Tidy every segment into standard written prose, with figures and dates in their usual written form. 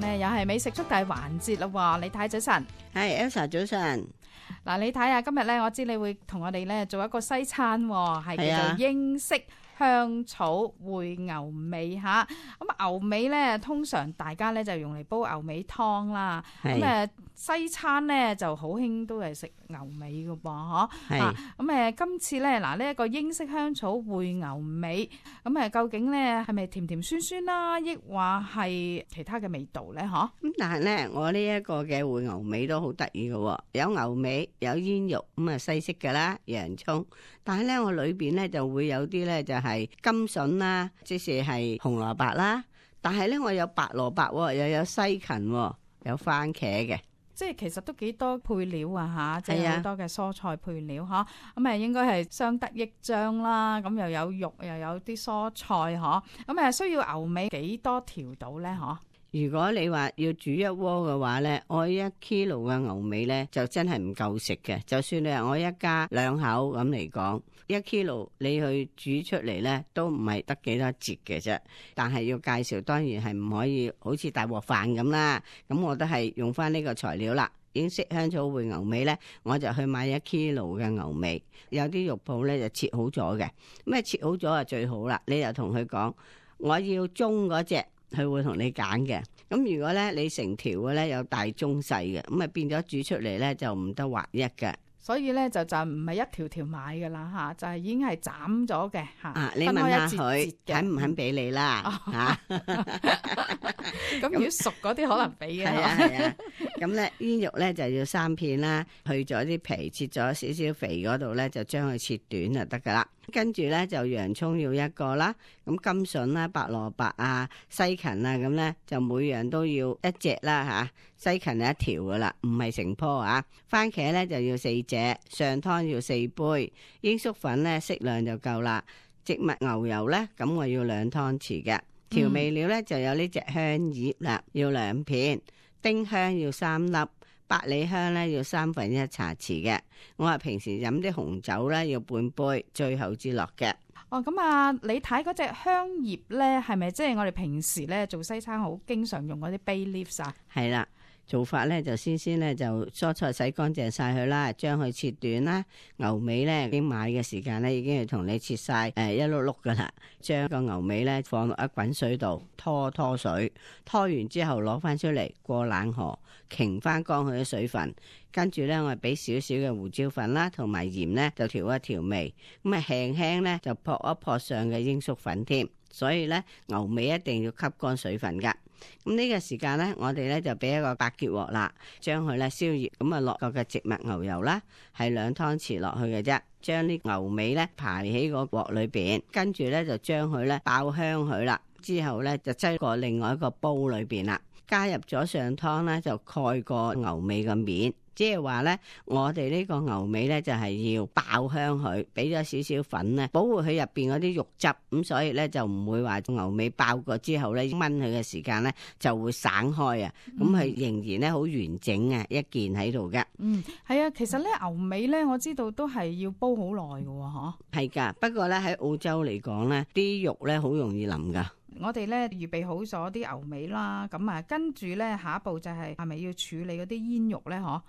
呢又係美食速遞環節啦，李太早晨。係 Elsa 早晨。嗱，李太啊，今日呢我知你會同我哋呢做一個西餐，係叫做英式香草燴牛尾吓。咁牛尾呢通常大家呢就用嚟煲牛尾湯啦。咁西餐呢就好興都係食牛尾噶噃，嗬。咁今次呢嗱呢一個英式香草燴牛尾，咁究竟呢係咪甜甜酸酸啦，抑或係其他嘅味道呢？嗬。咁但係呢，我呢一個嘅燴牛尾都好得意嘅，有牛尾，有煙肉，咁啊西式噶啦，洋蔥。但係呢，我裏邊呢就會有啲呢就係甘筍啦，即是係紅蘿蔔啦。但係呢，我有白蘿蔔，又有西芹，有番茄嘅。即係其實都幾多配料啊吓，即係好多嘅蔬菜配料嗬，咁應該係相得益彰啦。咁又有肉又有啲蔬菜嗬，咁需要牛尾幾多條到咧嗬？如果你話要煮一鍋嘅話呢，我1 kilo 嘅牛尾呢就真係唔夠食嘅。就算你話我一家兩口咁嚟講，1 kilo 你去煮出嚟呢都唔係得幾多節嘅啫。但係要介紹，當然係唔可以好似大鑊飯咁啦。咁我都係用翻呢個材料啦。英式香草燴牛尾呢，我就去買1 kilo 嘅牛尾。有啲肉鋪呢就切好咗嘅，咁切好咗就最好啦。你就同佢講，我要中嗰隻。佢會同你揀嘅。咁如果咧你成條嘅咧有大中細嘅，咁啊變咗煮出嚟咧就唔得劃一嘅。所以咧就唔係一條條買噶啦吓，就係已經係斬咗嘅吓。你問下佢肯唔肯俾你啦吓。咁如果熟嗰啲可能俾嘅。係啊。咁咧煙肉咧就要3片啦，去咗啲皮，切咗少少肥嗰度咧就將佢切短就得噶啦。跟住咧就洋蔥要1個啦，咁甘筍啦、白蘿蔔啊、西芹啊，咁咧就每樣都要1隻啦吓。西芹係1條噶啦，唔係成棵啊。番茄咧就要4隻，上湯要4杯，鷹粟粉咧適量就夠啦。植物牛油咧，咁我要2湯匙嘅。調味料咧就有呢隻香葉啦，要2片，丁香要3粒。百里香咧要1/3茶匙嘅，我話平時飲啲紅酒咧要半杯，最後至落嘅。咁你睇嗰隻香葉咧，係咪即係我哋平時咧做西餐好經常用嗰啲 bay leaves 啊？係啦。做法咧就先咧就蔬菜洗乾淨晒佢啦，將佢切短啦。牛尾咧已經買嘅時間咧已經係同你切晒一碌碌噶啦。將個牛尾咧放落一滾水度拖水，拖完之後攞翻出嚟過冷河，擎翻乾佢啲水分。跟住咧我係俾少少嘅胡椒粉啦，同埋鹽咧就調一調味。咁輕輕咧就撲一撲上嘅鷹粟粉添。所以咧牛尾一定要吸乾水分噶。咁呢個時間咧，我哋咧就俾一個白潔鑊啦，將佢咧燒熱，咁啊落個嘅植物牛油啦，係2湯匙落去嘅啫。將啲牛尾咧排喺個鑊裏邊，跟住咧就將佢咧爆香佢啦。之後咧就擠過另外一個煲裏邊啦，加入咗上湯咧就蓋過牛尾嘅面。即係話咧，我哋呢個牛尾咧就係要爆香佢，俾咗少少粉咧，保護佢入邊嗰啲肉汁，咁所以咧就唔會話牛尾爆過之後咧炆佢嘅時間咧就會散開啊，咁係仍然咧好完整啊一件喺度嘅。係啊，其實咧牛尾咧我知道都係要煲好耐嘅嗬。係噶，不過咧喺澳洲嚟講咧，啲肉咧好容易腍噶。我哋咧預備好咗啲牛尾啦，咁跟住咧下一步就係咪要處理嗰啲煙肉咧？嗬。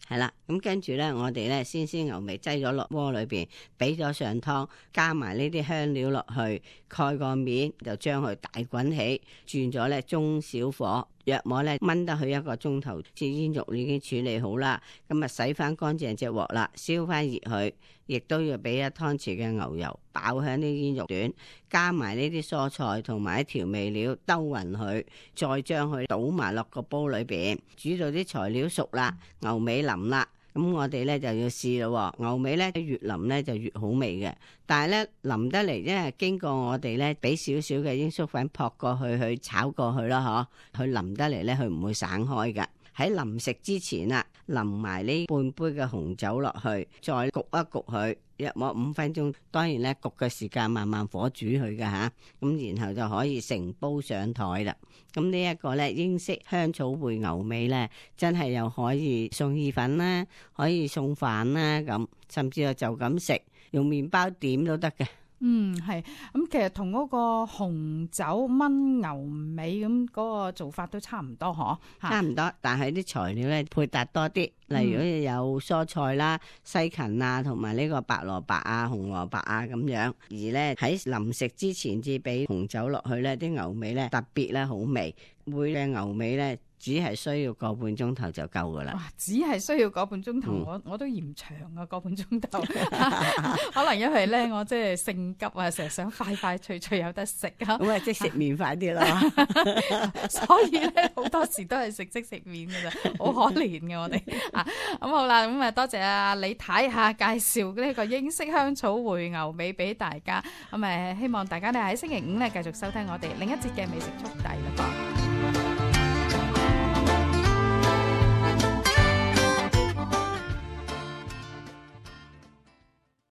係啦，咁跟住咧，我哋咧先牛尾擠咗落鍋裏邊，俾咗上湯，加埋呢啲香料落去，蓋個面就將佢大滾起，轉咗咧中小火，約莫咧燜得去1個鐘頭。至煙肉已經處理好啦，咁啊洗翻乾淨隻鑊啦，燒翻熱佢，亦都要俾1湯匙嘅牛油爆香啲煙肉段，加埋呢啲蔬菜同埋啲調味料兜勻佢，再將佢倒埋落個煲裏邊，煮到啲材料熟啦，牛尾腍啦，咁我哋咧就要試咯。牛尾咧越腍咧就越好味嘅，但係咧腍得嚟，因為經過我哋咧俾少少嘅鷹粟粉撲過去炒過去啦，嗬，佢腍得嚟咧佢唔會散開噶。喺臨食之前啊，淋埋呢半杯嘅紅酒落去，再焗一焗佢，約莫5分鐘。當然咧，焗嘅時間慢慢火煮佢噶吓，咁然後就可以成煲上台啦。咁呢一個咧英式香草燴牛尾咧，真係又可以送意粉啦，可以送飯啦，咁甚至就咁食，用麵包點都得嘅。係咁，其實同嗰個紅酒炆牛尾咁嗰個做法都差唔多，嗬？差唔多，但係啲材料咧配搭多啲，例如有蔬菜啦、西芹啊，同埋呢個白蘿蔔啊、紅蘿蔔啊咁樣。而咧喺臨食之前至俾紅酒落去咧，啲牛尾咧特別咧好味。每隻牛尾咧只係需要個半鐘頭就夠噶啦。哇！只係需要個半鐘頭，我都嫌長啊，個半鐘頭。可能因為咧我即係性急啊，成日想快快脆脆有得食啊。咁啊即食麵快啲咯。所以咧好多時都係食即食麵噶咋，好可憐嘅我哋啊。咁好啦，咁啊多謝啊李太下介紹呢個英式香草燴牛尾俾大家。咁希望大家咧喺星期五咧繼續收聽我哋另一節嘅美食速遞啦。